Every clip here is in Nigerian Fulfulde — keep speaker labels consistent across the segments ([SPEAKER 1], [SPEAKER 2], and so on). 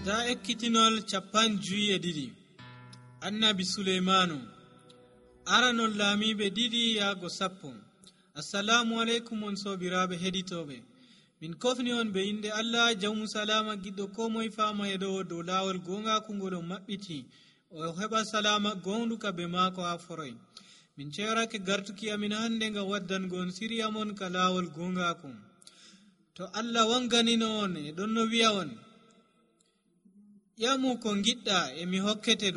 [SPEAKER 1] Da ekkitinol 52 annabi Suleymanu aranol laamiɓe 2 yaago 10. Assalamu alaikum on sobiraɓe heɗitoɓe, min kofni on be inde Allah jawmu salama giɗɗo ko moye fama yeɗowo dow lawol gongaku ngol on maɓɓiti o heɓa salama gonduka be maako ha foroy. Min cewarake gartuki amin hande ngam waddango on siriya mon ka lawol gongaku. To Allah wanganino on e ɗon no wi'a on, yamu ko giɗɗa e mi hokkete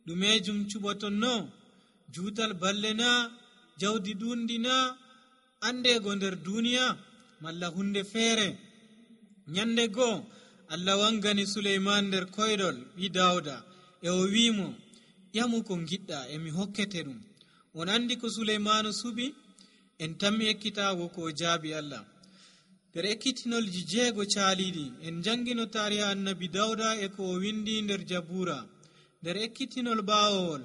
[SPEAKER 1] ɗumejum cuɓoton no, juutal balle na, jawdi ɗundi na, andego nder duniya malla hunde feere. Nyande goo Allah wangani Suleyman nder koyɗol ɓi Dawda e o wimo, yamu ko giɗɗa e mi hokkete ɗum. On andi ko Suleymanu suɓi, en tammi ekkitago ko o jaabi Allah. nder ekkitinolji 6 caaliɗi en jangino tariha annabi Dawda e ko o windi nder Jabura. nder ekkitinol ɓawowol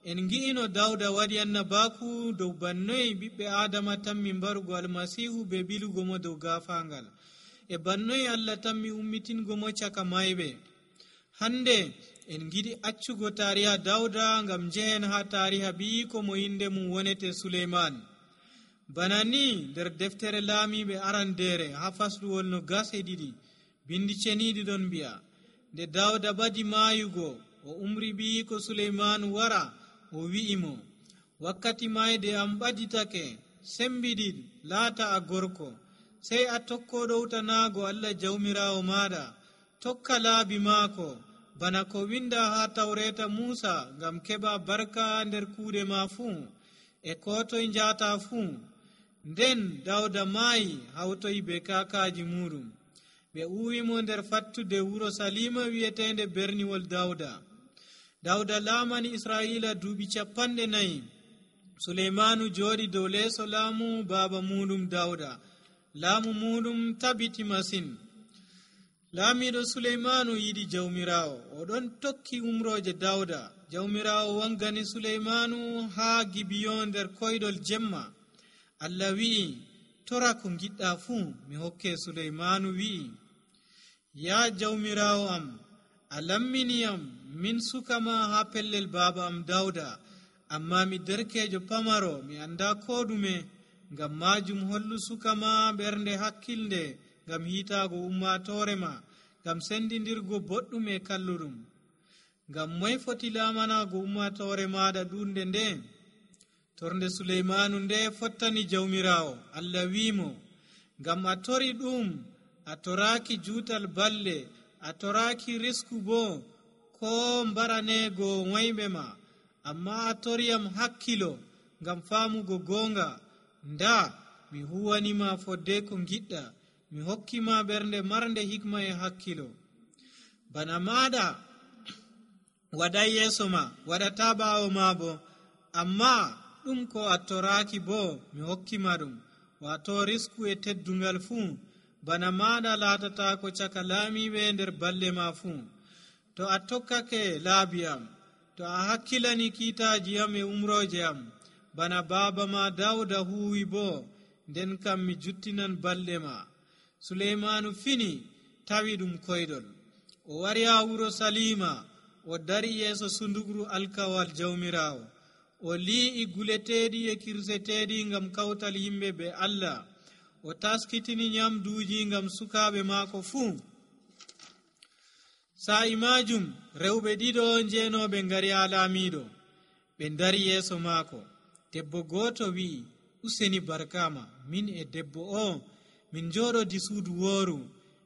[SPEAKER 1] en gi'ino Dawda waɗi annabaku dow bannoyi ɓiɓɓe Adama tammi mbarugo almasihu be bilugo mo dow gafangal, e bannoyi Allah tammi ummitingo mo caka mayɓe. Hande en giɗi accugo tariha Dawda ngam jehen ha tariha ɓiyiko mo inde mum wonete Suleyman. Bana ni nder deftere laamiɓe arandere ha fasluwol 22 bindi ceniɗi ɗon mbi'a, nde Dawda badi maayugo o umri ɓiyiko Suleyman wara o wi'imo, wakkati mayde am ɓaditake, sembiɗi laata a gorko, sey a tokko ɗowtanago Allah jawmirawo maɗa, tokka laabi maako bana ko winda ha tawreta Musa ngam keɓa barka nder kuuɗe ma fuu e ko toye njata fuu. Nden Dawda maayi hawtoyi be kakaji muɗum, ɓe uwimo nder fattude wuro Salima wi'etende berniwol Dawda. Dawda laamani Israila duuɓi 40. Suleymanu jooɗi dow leeso laamu baaba muɗum Dawda. Laamu muɗum tabiti masin. Laamiɗo Suleymanu yiɗi jawmirawo, o ɗon tokki umroje Dawda. Jawmirawo wangani Suleymanu ha Gibiyon nder koyɗol jemma. Allah wi'i, tora ko giɗɗa fuu mi hokke. Suleymanu wi'i, ya jawmirawo am, a lamminiyam min sukama ha pellel baba am Dawda, amma mi derkejo pamaro, mi anda ko ɗume. Ngam majum hollu sukama ɓernde hakkilde ngam hitago ummatorema, ngam sendidirgo boɗɗum e kalluɗum. Ngam moye foti lamanago ummatore maɗa ɗunde nde? Torde Suleymanu nde fottani jawmirawo. Allah wimo, ngam a tori ɗum, a toraki juutal balle, a toraki risku bo ko mbaranego wayɓe ma, amma a toriyam hakkilo ngam famugo gonga. Nda mi huwanima fodde ko giɗɗa, mi hokkima ɓernde marnde hikma e hakkilo. Bana maɗa waɗai yeso ma, waɗata ɓawo ma bo, amma ɗum ko a toraki bo mi hokkima ɗum, wato risku e teddungal fuu. Bana maɗa latata ko caka laamiɓe nder balle ma fuu. To a tokkake laabi am, to a hakkilani kiitaji am e umroje am, bana baba ma Dawda huwi bo, nden kam mi juttinan balɗe ma. Suleymanu fini tawi ɗum koyɗol. O wari ha wuro Salima, o dari yeeso sundugru alkawal jawmirawo. O li'i guleteɗi e kirseteɗi ngam kawtal yimɓe be Allah. O taskitini nyamduji ngam sukaɓe maako fuu. Sa'i majum rewɓe 2 njenoɓe ngari ha laamiɗo, ɓe dari yeeso maako. Debbo goto wi'i, useni barkama, min e debbo o min joɗodi suudu wooru,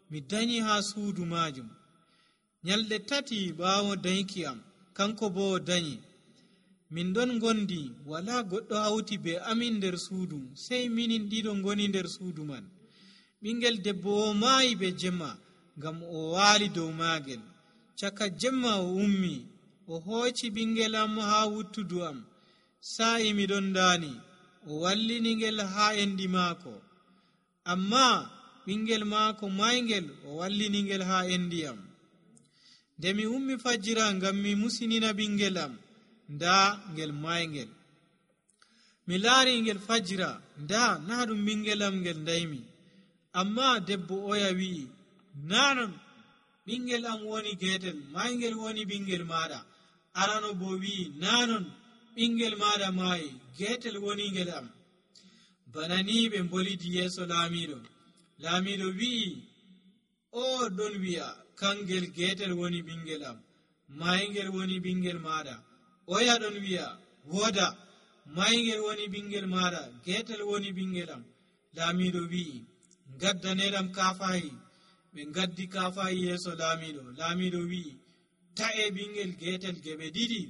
[SPEAKER 1] mi danyi ha suudu majum. Nyalɗe 3 ɓawo danki am, kanko bo o danyi. Min ɗon gondi, wala goɗɗo hawti be amin nder suudu, sey minin 2 ngoni nder suudu man. Ɓingel debbo o maayi be jemma, ngam o waali dow maagel. Caka jemma o ummi, o hooci ɓingel am ha wuttudu am. Sa'i miɗon daani, o wallinigel ha endi maako. Amma ɓingel maako maygel o wallinigel ha endi am. Nde mi ummi fajjira ngam mi musinina ɓingel am, nda ngel maygel. Mi laari ngel fajjira, nda na ɗum ɓingel am ngel daymi. Amma debbo oya wi'i, nanon ɓingel am woni getel, maygel woni ɓingel maɗa. Arano bo wi'i nanon ɓingel maɗa maayi, getel woni ngel am. Bana ni ɓe bolidi yeeso laamiɗo. Laamiɗo wi'i, o ɗon wi'a kangel getel woni ɓingel am, maygel woni ɓingel maɗa. Oya ɗon wi'a woda, maygel woni ɓingel maɗa, getel woni ɓingel am. Laamiɗo wi'i gaddaneɗam kafahi. Ɓe gaddi kafahi yeeso laamiɗo. Laamiɗo wi'i ta'e ɓingel getel geɓe ɗiɗi,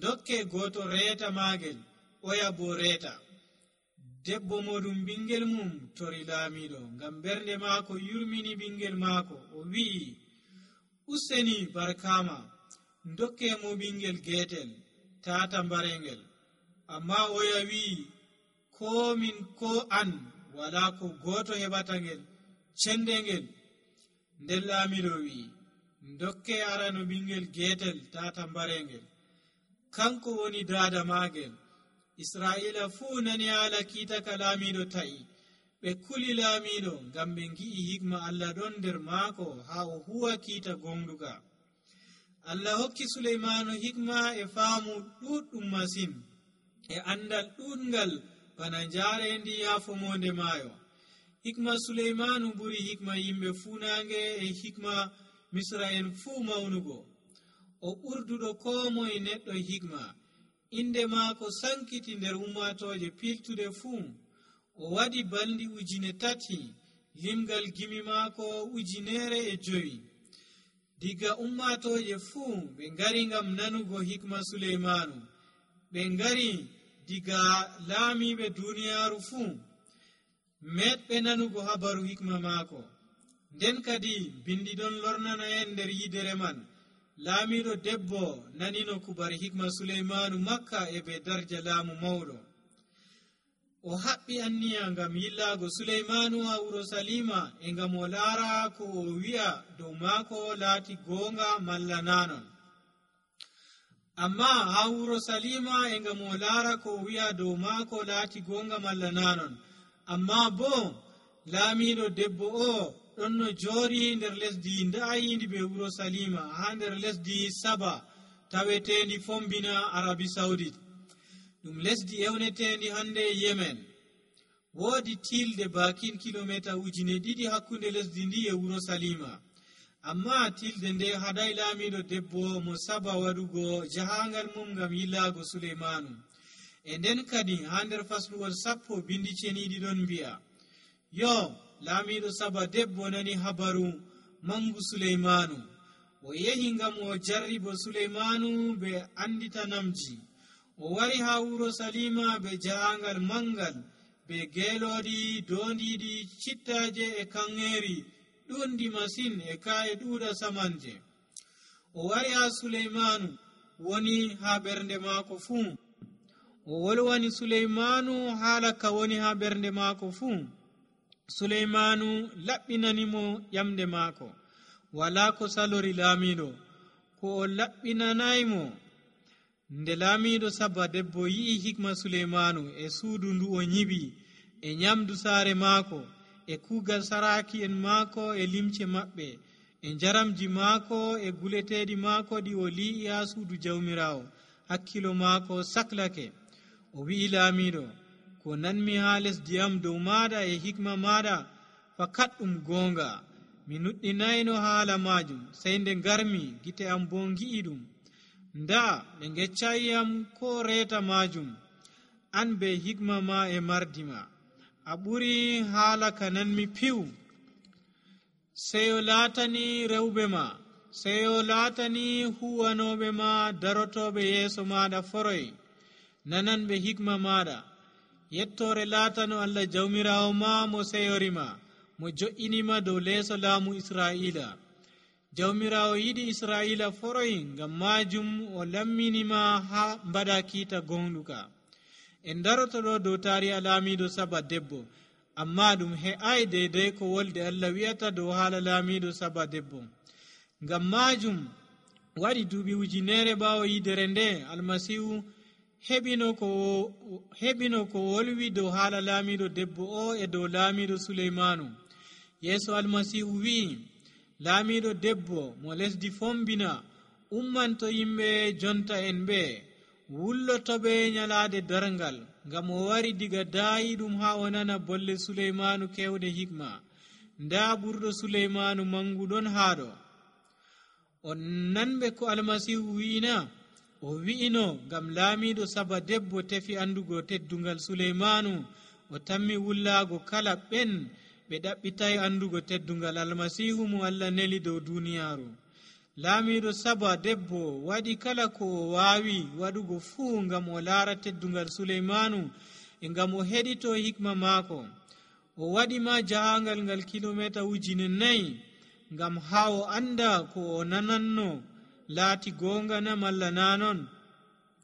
[SPEAKER 1] dokke goto reeta maagel, oya bo reeta. Debbo moɗum ɓingel mum tori laamiɗo ngam ɓernde maako yurmini ɓingel maako. O wi'i useni barkama, dokke mo ɓingel getel tata mbarengel. Amma oya wi'i ko min ko an wala ko goto heɓata ngel cendengel. Nden laamiɗo wi'i dokke arano ɓingel getel tata mbarengel, kanko woni dada maagel. Israa'ila fuu nani haala kiita ka laamiɗo ta'i. Ɓe kuli laamiɗo ngam ɓe ngi'i hikma Allah ɗon nder maako haa o huwa kiita gonɗuka. Allah hokki Suleymanu hikma e faamu ɗuɗɗum masin, e andal ɗuɗngal bana njaarendi yaafomonde maayo. Hikma Suleymanu ɓuri hikma yimɓe fuunaange e hikma Misra en fuu mawnugo. O ɓurduɗo ko moye neɗɗo hikma. Inde maako sankiti nder ummatoje piltude fuu. O waɗi balɗi 3,000, limgal gimi maako 1,500. Diga ummatoje fuu ɓe ngari ngam nanugo hikma Suleymanu. Ɓe ngari diga laamiɓe duniyaaru fuu meɗɓe nanugo habaru hikma maako. Nden kadi bindi ɗon lornana en nder yidere man. Laamiɗo debbo nanino kubar hikma Suleymanu Makka e be darja laamu mawɗo. O haɓɓi anniya ngam yillaago Suleymanu ha wuro Salima e ngam o laara ko o wi'a dow maako laati goonga malla nanon. Amma ha wuro Salima e ngam o laara ko o wi'a dow maako laati goonga malla nanon. Amma bo laamiɗo debbo o ɗon no joori nder lesdi da'ayindi be wuro Salima ha nder lesdi Saba tawetendi fombina Arabi Saudit. Ɗum lesdi ewnetendi hande Yemen. Woodi tilde bakin kilomita 2,000 hakkunde lesdi ndi e wuro Salima. Amma tilde nde haɗay laamiɗo debbo mo Saba waɗugo jahangal mum ngam yillaago Suleymanu. E nden kadi ha nder fasluwol 10 bindi ceniɗi ɗon mbi'a yo laamiɗo Saba debbo nani habaru mangu Suleymanu. O yehi ngam o jarribo Suleymanu be anditanamji. O wari ha wuro Salima be jahangal mangal, be geeloɗi dondiɗi cittaje e kanŋeri ɗundi masin e ka'e ɗuuɗa samanje. O wari ha Suleymanu woni ha ɓernde maako fuu. O wolwani Suleymanu haala ka woni ha ɓernde maako fuu. Suleymanu laɓɓinanimo ƴamde maako. Wala ko salori laamiɗo ko o laɓɓinanaymo. Nde laamiɗo Saba debbo yi'i hikma Suleymanu e suudu ndu o nyiɓi, e nyamdu saare maako, e kuugal saraki en maako e limce maɓɓe, e njaramji maako e guleteɗi maako ɗi o li'i ha suudu jawmirawo, hakkilo maako saklake. O wi'i laamiɗo, ko nanmi ha lesdi am dow maɗa e hikma maɗa fakat ɗum goonga. Mi nuɗɗinayno haala majum, sey nde ngarmi gite am bo ngi'i ɗum. Nda ɓe geccayam ko reeta majum. An be hikma ma e mardima a ɓuri haala ka nanmi piw. Seyo laatani rewɓe ma, seyo laatani huwanoɓe ma darotoɓe yeeso maɗa foroy. Nanan ɓe hikma maɗa. Yettore laatano Allah jawmirawo ma mo seyorima, mo jo'inima dow leeso laamu Israa'ila. Jawmirawo yiɗi Israa'ila foroy, ngam majum o lamminima ha mbaɗa kiita gonɗuka. En daroto ɗo dow tariha laamiɗo Saba debbo, amma ɗum he'ai deidai ko wolde Allah wi'ata dow haala laamiɗo Saba debbo. Ngam majum waɗi duuɓi 1,000 ɓawo yidere nde Almasihu heɓino ko wolwi dow haala laamiɗo debbo o e dow laamiɗo Suleymanu. Yeeso Almasihu wi'i, laamiiɗo debbo mo lesdi fombina ummanto yimɓe jonta en ɓe wullotoɓe nyalaade darngal, ngam o wari diga daayiɗum haa o nana bolle Suleymaanu kewde hikma. Ndaa ɓurɗo Suleymaanu manguɗon haaɗo. On nanɓe ko almasihu wi'ina? O wi'ino ngam laamiiɗo Saba debbo tefi andugo teddungal Suleymaanu, o tammi wullaago kala ɓen ɓe ɗaɓɓitay andugo teddungal almasihu mo Allah neli dow duniyaaru. Laamiiɗo Saba debbo waɗi kala ko o waawi waɗugo fuu ngam o laara teddungal Suleymaanu e ngam o heɗito hikma maako. O waɗi ma jahangal ngal kilomita 4,000 ngam haa o anda ko o nananno laati goonga na malla na non.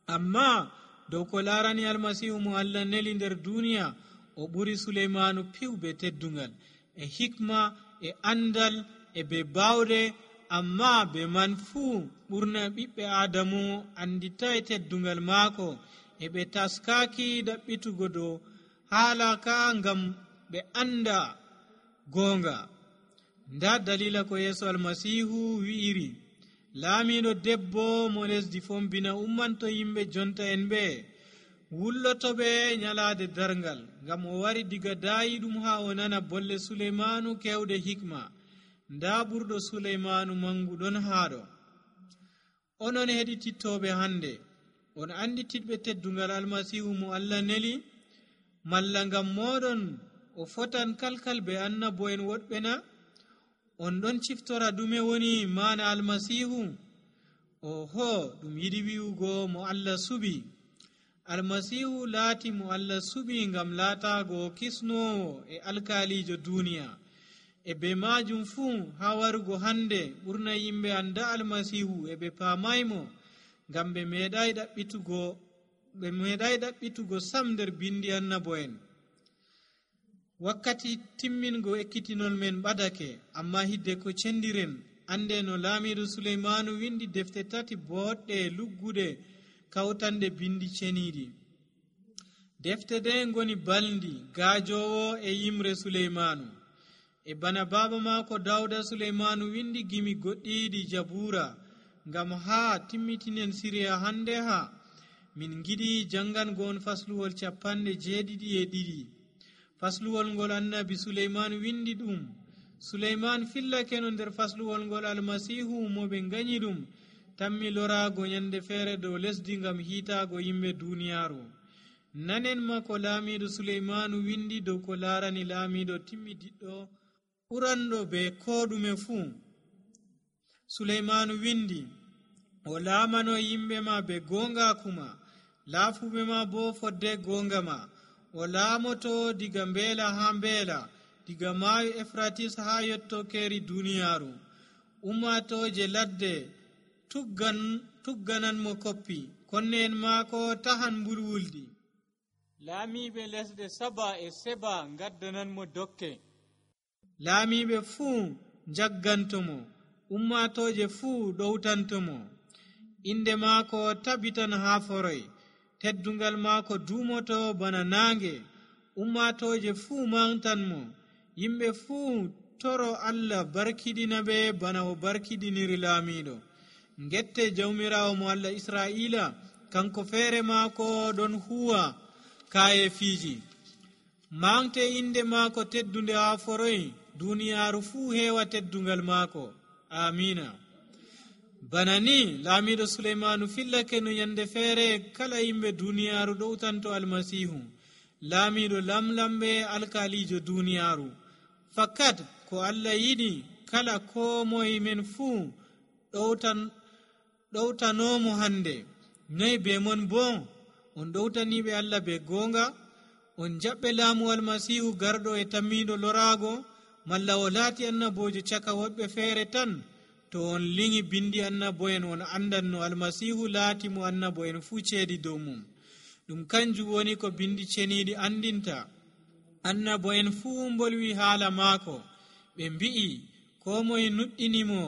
[SPEAKER 1] Amma dow ko laarani almasihu mo Allah neli nder duniya, o ɓuri Suleymaanu piwɓe teddungal e hikma e andal e be baawde. Amma be man fuu ɓurna ɓiɓɓe Aadamu anditay teddungal maako e ɓe taskaaki ɗaɓɓitugo dow haala ka ngam ɓe anda goonga. Nda dalila ko Yeesu almasihu wi'iri: laamiiɗo debbo mo lesdi fombina ummanto yimɓe jonta en ɓe wullotoɓe nyalaade darngal, ngam o wari diga daayiɗum haa o nana bolle Suleymaanu kewde hikma. Nda ɓurɗo Suleymaanu manguɗon haaɗo. Onon heɗitittoɓe hande, on andititɓe teddungal almasihu mo Allah neli? Malla ngam moɗon o fotan kalkal be annabo'en woɗɓe na? On ɗon ciftora ɗume woni maana almasihu? Oho, ɗum yiɗi wi'ugo mo Allah suɓi. Almasihu laati mo Allah suɓi ngam laataago kisnowo e alkaalijo duniya. E be majum fuu haa warugo hande ɓurna yimɓe anda almasihu e ɓe paamaymo, ngam ɓe meeɗay ɗaɓɓitugo sam nder bindi annabo'en. Wakkati timmingo ekkitinol men ɓadake, amma hidde ko cendiren ande no laamiiɗo Suleymaanu windi defte 3 boɗɗe lugguɗe kawtande bindi ceniiɗi. Defte ɗe ngoni balndi, gaajowo e yimre Suleymaanu. E bana baaba maako Dawda, Suleymaanu windi gimi goɗɗiiɗi Jabuura. Ngam haa timmitinen siriya hande ha min giɗi jangango on fasluwol 72. Fasluwol ngol annabi Suleyman windi ɗum. Suleyman fillake no nder fasluwol ngol almasihu mo ɓe ganyi ɗum tammi lorago nyande feere dow lesdi ngam hiitaago yimɓe duniyaaru. Nanen ma ko laamiiɗo Suleyman windi dow ko laarani laamiiɗo timmidiɗɗo ɓuranɗo be ko ɗume fuu. Suleyman windi: o laamano yimɓe ma be gongaku ma, laafuɓe ma bo fodde gonga ma. O laamoto diga mbeela ha mbeela, diga maayo Efratis ha yettokeri duniyaaru. Ummatoje ladde tugganan mo koppi, konne en maako tahan mbulwuldi. Laamiɓe lesɗe Saba e Seba gaddanan mo dokke. Laamiɓe fuu jaggantomo, ummatoje fuu ɗowtantomo. Inde maako tabitan ha foroy, teddungal maako dumoto bana naange. Ummatoje fuu mantanmo, yimɓe fuu toro Allah barkiɗina ɓe bana o barkiɗiniri laamiɗo. Ngette jawmirawo mo Allah Israila, kanko feere maako ɗon huwa kaye fiiji. Mante inde maako teddunde ha foroy, duniyaaru fuu heewa teddungal maako. Amina. Bana ni laamiɗo Suleymanu fillake no nyande feere kala yimɓe duniyaaru ɗowtanto almasihu, laamiɗo lamlamɓe alkalijo duniyaaru. Fakat ko Allah yiɗi kala ko moye men fuu ɗowtanomo hande. Noy be mon bo? On ɗowtaniɓe Allah be gonga? On jaɓɓe laamu almasihu garɗo e tammiɗo lorago, malla o laati annabojo caka woɓɓe feere tan? To on liŋi bindi annabo'en on andan no almasihu laati mo annabo'en fuu ceedi dow mum. Ɗum kanjum woni ko bindi ceniiɗi andinta. Annabo'en fuu mbolwi haala maako, ɓe mbi'i ko moye nuɗɗinimo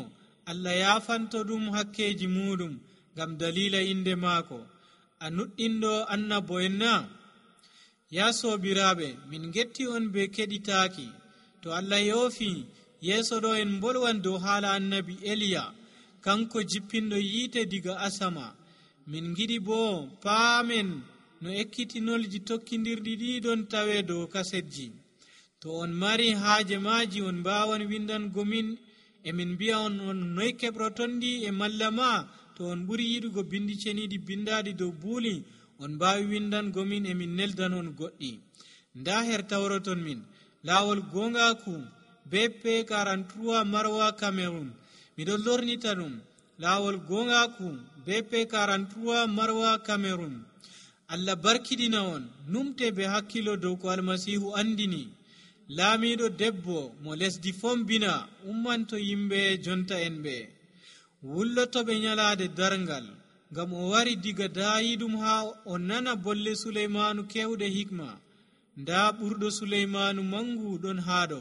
[SPEAKER 1] Allah yaafanto ɗum hakkeji muɗum ngam dalila inde maako. A nuɗɗinɗo annabo'en na? Ya soobiraaɓe, min getti on be keɗitaaki. To Allah yoofi yeeso ɗo en bolwan dow haala annabi Eliya, kanko jippinɗo yiite diga asama. min giɗi bo paamen no ekkitinolji tokkidirɗi ɗiɗon tawe dow kasetji. to on mari haaje maaji on mbawan windango min, emin mbi'a on noy keɓrotonɗi e malla ma to on ɓuri yiɗugo bindi ceniɗi bindaɗi dow buuli, on mbawi windango min emin neldan on goɗɗi. nda her tawroton min laawol gongaku BP 43 Marwa Cameroon. miɗon lornita ɗum laawol gongaku BP 43 Marwa Cameroon. Allah barkiɗina on, numte be hakkilo dow ko almasihu andini. laamiɗo debbo mo lesdi fombina ummanto yimɓe jonta en ɓe, wullotoɓe nyalaade darngal, ngam o wari diga daayiɗum ha o nana bolle Suleymanu kewɗe hikma. nda ɓurɗo Suleymanu mangu ɗon haɗo.